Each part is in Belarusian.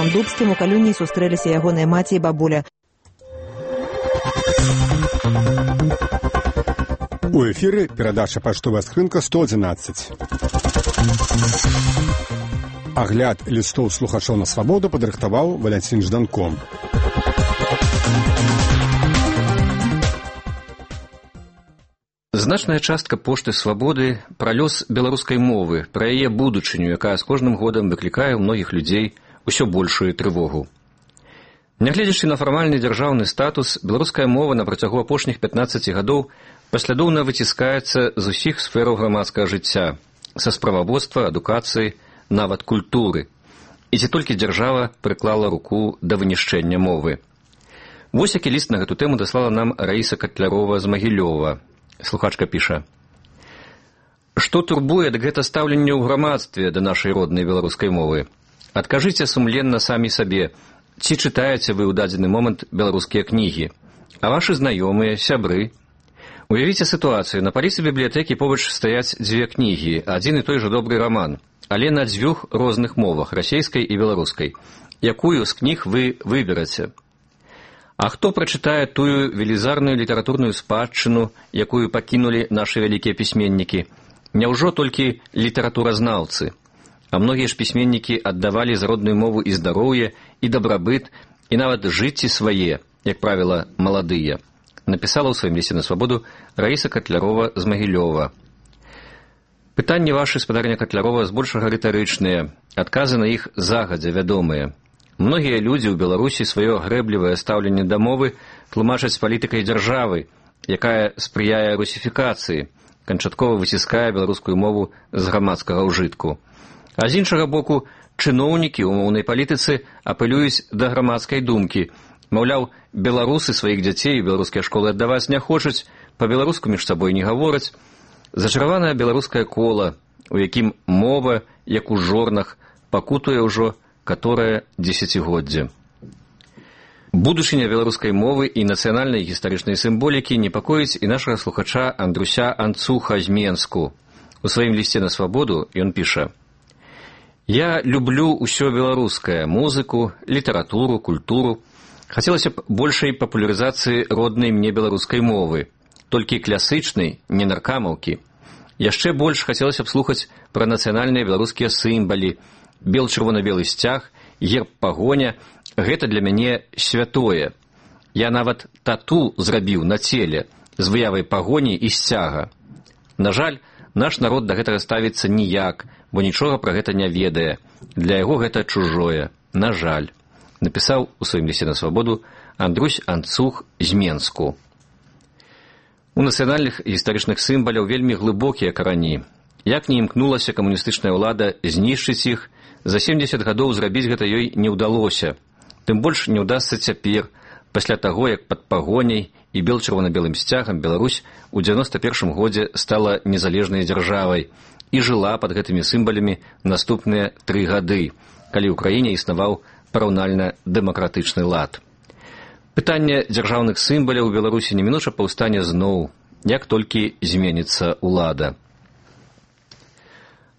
Мікалом Дубскім у Калюні сустрэліся ягоныя маці і бабуля. У эфіры перадача «Паштовая скрынка» 111. Агляд лістоў слухачоў на свабоду падрыхтаваў Валянцін Жданко. Значная частка пошты «Свабоды» пра лёс беларускай мовы, пра яе будучыню, якая з кожным годам выклікае ў многіх людзей усё большую трывогу. Нягледзячы на фармальны дзяржаўны статус, беларуская мова на працягу апошніх 15 гадоў паслядоўна выціскаецца з усіх сфераў грамадскага жыцця, са справаводства, адукацыі, нават культуры. І ці толькі дзяржава прыклала руку да вынішчэння мовы. Вось які ліст на гэту тэму даслала нам Раіса Катлярова з Магілёва. Слухачка піша: «Што турбуе, дык гэта стаўленне ў грамадстве да нашай роднай беларускай мовы. Адкажыце сумленна самі сабе, ці чытаеце вы ў дадзены момант беларускія кнігі, а вашы знаёмыя, сябры. Уявіце сітуацыю, на паліцы бібліятэкі побач стаяць дзве кнігі, адзін і той жа добры раман, але на дзвюх розных мовах, расейскай і беларускай. Якую з кніг вы выбераце? А хто прачытае тую велізарную літаратурную спадчыну, якую пакінулі нашы вялікія пісьменнікі? Няўжо толькі літаратуразнаўцы? А многія ж пісьменнікі аддавалі за родную мову і здароўе, і дабрабыт, і нават жыцці свае, як правіла, маладыя. Напісала ў сваім лісце на свабоду Раіса Катлярова з Магілёва. Пытанні вашы, спадарня Катлярова, збольшага рытарычныя, адказы на іх загадзя вядомыя. Многія людзі ў Беларусі сваё грэблівае стаўленне да мовы тлумачаць палітыкай дзяржавы, якая спрыяе русіфікацыі, канчаткова выціскае беларускую мову з грамадскага ўжытку. А з іншага боку, чыноўнікі ў моўнай палітыцы апелююць да грамадскай думкі. Маўляў, беларусы сваіх дзяцей у беларускія школы аддаваць не хочуць, па-беларуску між сабой не гавораць. Зачараванае беларускае кола, у якім мова, як у жорнах, пакутуе ўжо каторае дзесяцігоддзе. Будучыня беларускай мовы і нацыянальнай гістарычнай сімволікі непакоіць і нашага слухача Андруся Анцуха з Менску. У сваім лісце на свабоду ён піша: «Я люблю ўсё беларускае, музыку, літаратуру, культуру. Хацелася б большай папулярызацыі роднай мне беларускай мовы, толькі клясычнай, не наркамаўкі. Яшчэ больш хацелася б слухаць пра нацыянальныя беларускія сімвалы, бел-чырвона-белы сцяг, герб пагоня. Гэта для мяне святое. Я нават тату зрабіў на целе з выявай пагоні і сцяга. На жаль, наш народ да гэтага ставіцца ніяк, бо нічога пра гэта не ведае. Для яго гэта чужое. На жаль», напісаў у сваім лісце на свабоду Андрусь Анцух з Менску. У нацыянальных гістарычных сімваляў вельмі глыбокія карані. Як не імкнулася камуністычная ўлада знішчыць іх, за 70 гадоў зрабіць гэта ёй не ўдалося. Тым больш не ўдасца цяпер, пасля таго, як пад пагоняй і бел-чырвона-белым сцягам Беларусь у 91 годзе стала незалежнай дзяржавай і жыла пад гэтымі сімвалямі наступныя 3 гады, калі ў краіне існаваў параўнальна дэмакратычны лад. Пытанне дзяржаўных сімваляў у Беларусі немінуча паўстане зноў, як толькі зменіцца ўлада.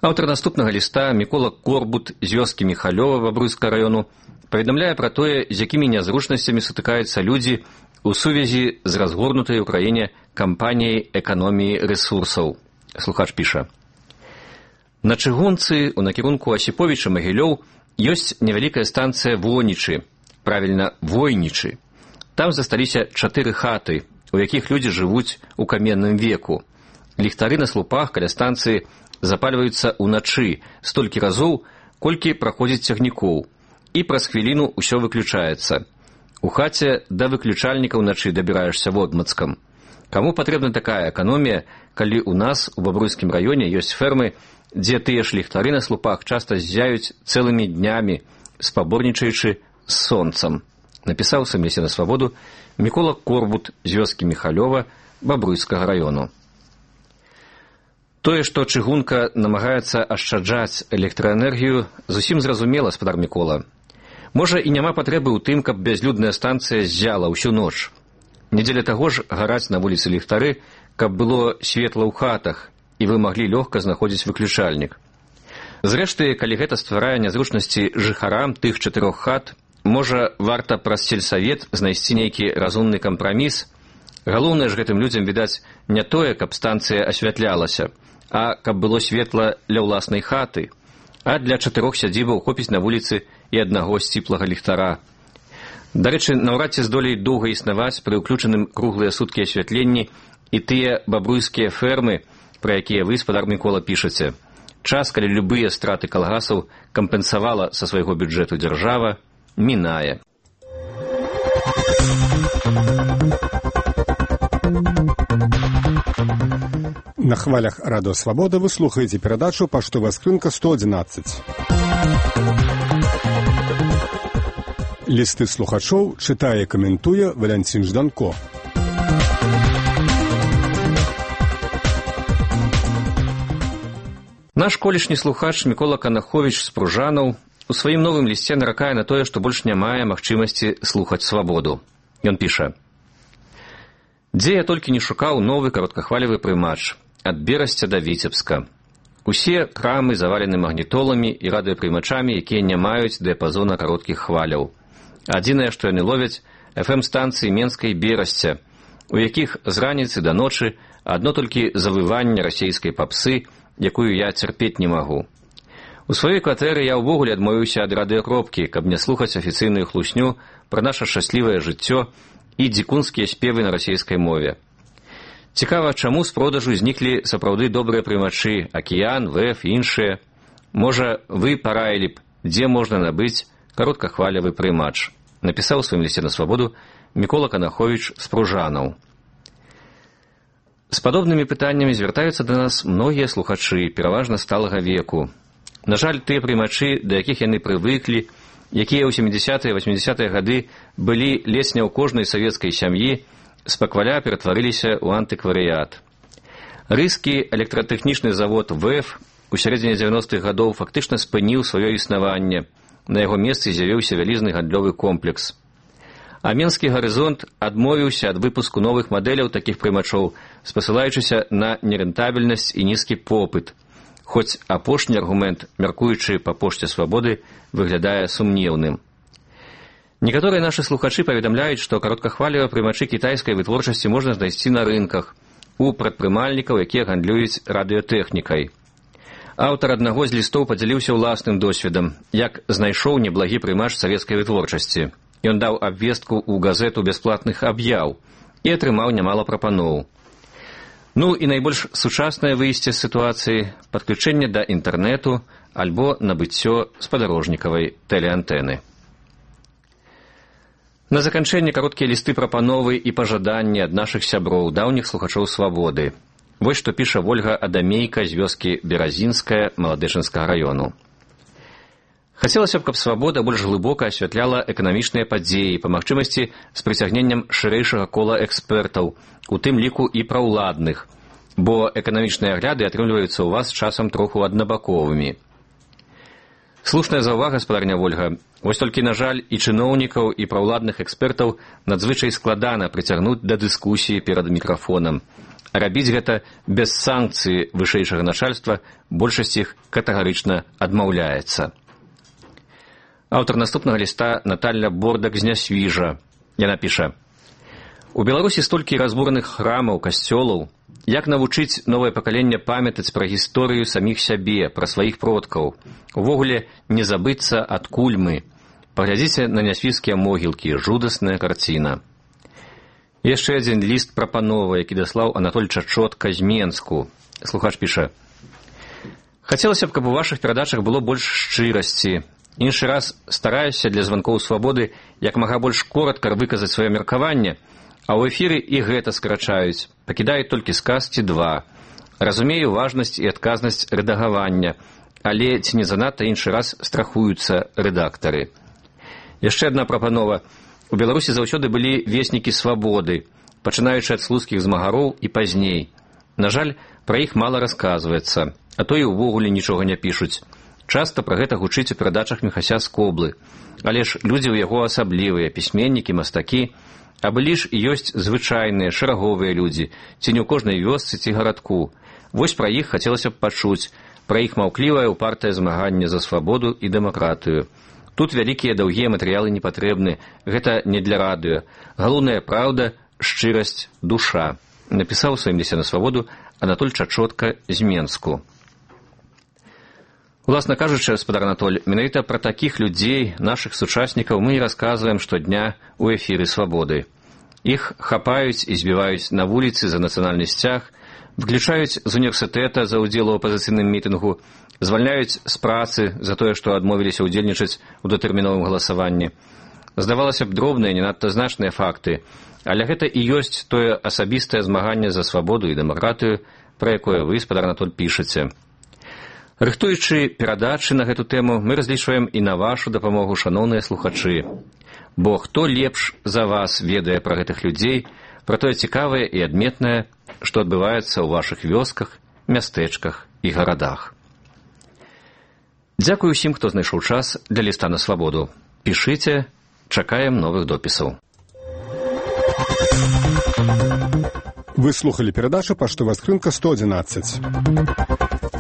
Аўтар наступнага ліста, Мікола Корбут з вёскі Міхалёва Бабруйскага раёну, паведамляе пра тое, з якімі нязручнасцямі сутыкаюцца людзі у сувязі з разгорнутай у краіне кампаніяй эканоміі рэсурсаў. Слухач піша: «На чыгунцы, у накірунку Асіповіча-Магілёў, ёсць невялікая станцыя Вонічы, правільна, Войнічы. Там засталіся 4 хаты, у якіх людзі жывуць у каменным веку. Ліхтары на слупах каля станцыі запальваюцца ўначы столькі разоў, колькі праходзіць цягнікоў, і праз хвіліну ўсё выключаецца. У хаце да выключальніка ўначы дабіраешся водмацкам. Каму патрэбна такая эканомія, калі ў нас у Бабруйскім раёне ёсць фермы, дзе тыя ж ліхтары на слупах часта ззяюць цэлымі днямі, спаборнічаючы з сонцам», напісаў у сваім лісце на свабоду Мікола Корбут з вёскі Міхалёва Бабруйскага раёну. Тое, што чыгунка намагаецца ашчаджаць электраэнергію, зусім зразумела, спадар Мікола. Можа, і няма патрэбы ў тым, каб бязлюдная станцыя ззяла ўсю ноч. Не дзеля таго ж гараць на вуліцы ліхтары, каб было светла ў хатах, і вы маглі лёгка знаходзіць выключальнік. Зрэшты, калі гэта стварае нязручнасці жыхарам тых 4 хат, можа, варта праз сельсавет знайсці нейкі разумны кампраміс. Галоўнае ж гэтым людзям, відаць, не тое, каб станцыя асвятлялася, а каб было светла ля ўласнай хаты, а для 4 сядзібаў хопіць на вуліцы і аднаго сціплага ліхтара. Дарэчы, наўрад ці здолеюць доўга існаваць пры ўключаным круглыя суткі асвятленні і тыя бабруйскія фермы, пра якія вы, спадар Мікола, пішаце. Час, калі любыя страты калгасаў кампенсавала са свайго бюджэту дзяржава, мінае. На хвалях Радыё Свабода вы слухаеце перадачу «Паштовая скрынка 111». Лісты слухачоў чытае і каментуе Валянцін Жданко. Наш колішні слухач Мікола Канаховіч з Пружанаў у сваім новым лісце наракае на тое, што больш не мае магчымасці слухаць свабоду. Ён піша: «Дзе я толькі не шукаў новы кароткахвалевы прымач, ад Берасця да Віцебска. Усе крамы завалены магнітоламі і радыёпрымачамі, якія не маюць дыяпазона кароткіх хваляў. Адзінае, што яны ловяць, FM-станцыі Менска і Берасця, у якіх з раніцы да ночы адно толькі завыванне расейскай папсы, якую я цярпець не магу. У сваёй кватэры я ўвогуле адмовіўся ад радыёкропкі, каб не слухаць афіцыйную хлусню пра наша шчаслівае жыццё і дзікунскія спевы на расейскай мове. Цікава, чаму з продажу зніклі сапраўды добрыя прымачы, Акіян, ВФ і іншыя. Можа, вы параілі б, дзе можна набыць кароткахвалевы прымач, напісаў у сваім лісце на свабоду Мікола Канаховіч з Пружанаў. З падобнымі пытаннямі звяртаюцца да нас многія слухачы, пераважна сталага веку. На жаль, тыя прымачы, да якіх яны прывыклі, якія ў 70-е, 80-е гады былі ледзь не ў кожнай савецкай сям'і, спакваля ператварыліся ў антыкварыят. Рыскі электратэхнічны завод ВЭФ у сярэдзіне 90-х гадоў фактычна спыніў сваё існаванне. На яго месцы з'явіўся вялізны гандлёвы комплекс. А Менскі гарызонт адмовіўся ад выпуску новых мадэляў такіх прымачоў, спасылаючыся на нерэнтабельнасць і нізкі попыт, хоць апошні аргумент, мяркуючы па пошце свабоды, выглядае сумнеўным. Некаторыя нашы слухачы паведамляюць, што кароткахвалевыя прымачы кітайскай вытворчасці можна знайсці на рынках, у прадпрымальнікаў, якія гандлююць радыётэхнікай. Аўтар аднаго з лістоў падзяліўся ўласным досведам, як знайшоў неблагі прымач савецкай вытворчасці. Ён даў абвестку ў газету бясплатных аб'яў і атрымаў нямала прапаноў. Ну і найбольш сучаснае выйсце з сітуацыі – падключэнне да інтэрнэту альбо набыццё спадарожнікавай тэлеантэны. На заканчэнне кароткія лісты прапановы і пажаданні ад нашых сяброў, даўніх слухачоў свабоды. Вось што піша Вольга Адамейка з вёскі Беразінская Маладэчынскага раёну. Хацелася б, каб свабода больш глыбока асвятляла эканамічныя падзеі, па магчымасці з прыцягненнем шырэйшага кола экспертаў, у тым ліку і праўладных, бо эканамічныя агляды атрымліваюцца ў вас часам троху аднабаковымі. Слушная заўвага, спадарня Вольга. Вось толькі, на жаль, і чыноўнікаў, і праўладных экспертаў надзвычай складана прыцягнуць да дыскусіі перад мікрафонам. А рабіць гэта без санкцыі вышэйшага начальства большасць іх катэгарычна адмаўляецца. Аўтар наступнага ліста Наталья Бордак з Нясвіжа. Яна піша: «У Беларусі столькі разбураных храмаў, касцёлаў. Як навучыць новае пакаленне памятаць пра гісторыю саміх сябе, пра сваіх продкаў? Увогуле не забыцца, адкуль мы. Паглядзіце на нясвіжскія могілкі, жудасная карціна». Яшчэ адзін ліст прапановы, які даслаў Анатоль Чачотка з Менску. Слухач піша: «Хацелася б, каб у вашых перадачах было больш шчырасці. Іншы раз стараюся для званкоў свабоды як мага больш коротка выказаць сваё меркаванне, а ў эфіры і гэта скрачаюць, пакідаюць толькі сказ ці два. Разумею важнасць і адказнасць рэдагавання, але ці не занадта іншы раз страхуюцца рэдактары». Яшчэ адна прапанова. У Беларусі заўсёды былі веснікі свабоды, пачынаючы ад слуцкіх змагароў і пазней. На жаль, пра іх мала расказваецца, а то і ўвогуле нічога не пішуць. Часта пра гэта гучыць у перадачах Міхася Скоблы. Але ж людзі ў яго асаблівыя, пісьменнікі, мастакі, а былі ж і ёсць звычайныя, шэраговыя людзі, ці не ў кожнай вёсцы ці гарадку. Вось пра іх хацелася б пачуць, пра іх маўклівае упартае змаганне за свабоду і дэмакратыю. Тут вялікія даўгія матэрыялы не патрэбны, гэта не для радыё. Галоўная праўда, шчырасць, душа, напісаў у сваім лісце на свабоду Анатоль Чачотка з Менску. Уласна кажучы, гаспадар Анатоль, менавіта пра такіх людзей, нашых сучаснікаў, мы і расказваем штодня ў эфіры свабоды. Іх хапаюць і збіваюць на вуліцы за нацыянальны сцяг, выключаюць з універсітэта за ўдзел у апазіцыйным мітынгу, звальняюць з працы за тое, што адмовіліся ўдзельнічаць у датэрміновым галасаванні. Здавалася б, дробныя, не надта значныя факты, але гэта і ёсць тое асабістае змаганне за свабоду і дэмакратыю, пра якое вы, гаспадар Анатоль, пішаце. Рыхтуючы перадачы на гэту тэму, мы разлічваем і на вашу дапамогу, шаноўныя слухачы. Бо хто лепш за вас ведае пра гэтых людзей, пра тое цікавае і адметнае, што адбываецца ў вашых вёсках, мястэчках і гарадах. Дзякую ўсім, хто знайшоў час для ліста на свабоду. Пішыце, чакаем новых допісаў. Вы слухали перадачу «Паштовая скрынка 111».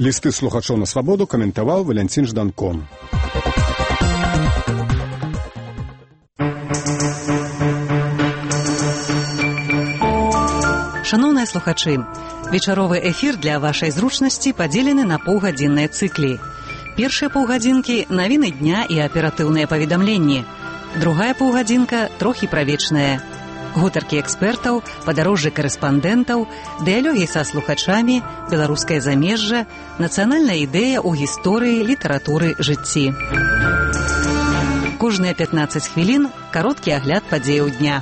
Лісты слухачоў на свабоду каментаваў Валянцін Жданко. Шаноўныя слухачы, вечаровы эфір для вашай зручнасці падзелены на паўгадзінныя цыклі. Першыя паўгадзінкі – навіны дня і аператыўныя паведамленні. Другая паўгадзінка – трохі пра вечнае. Гутаркі экспертаў, падарожжы карэспандэнтаў, дыялогі са слухачамі, беларускае замежжа, нацыянальная ідэя ў гісторыі, літаратуры, жыцці. Кожныя 15 хвілін – кароткі агляд падзеяў дня.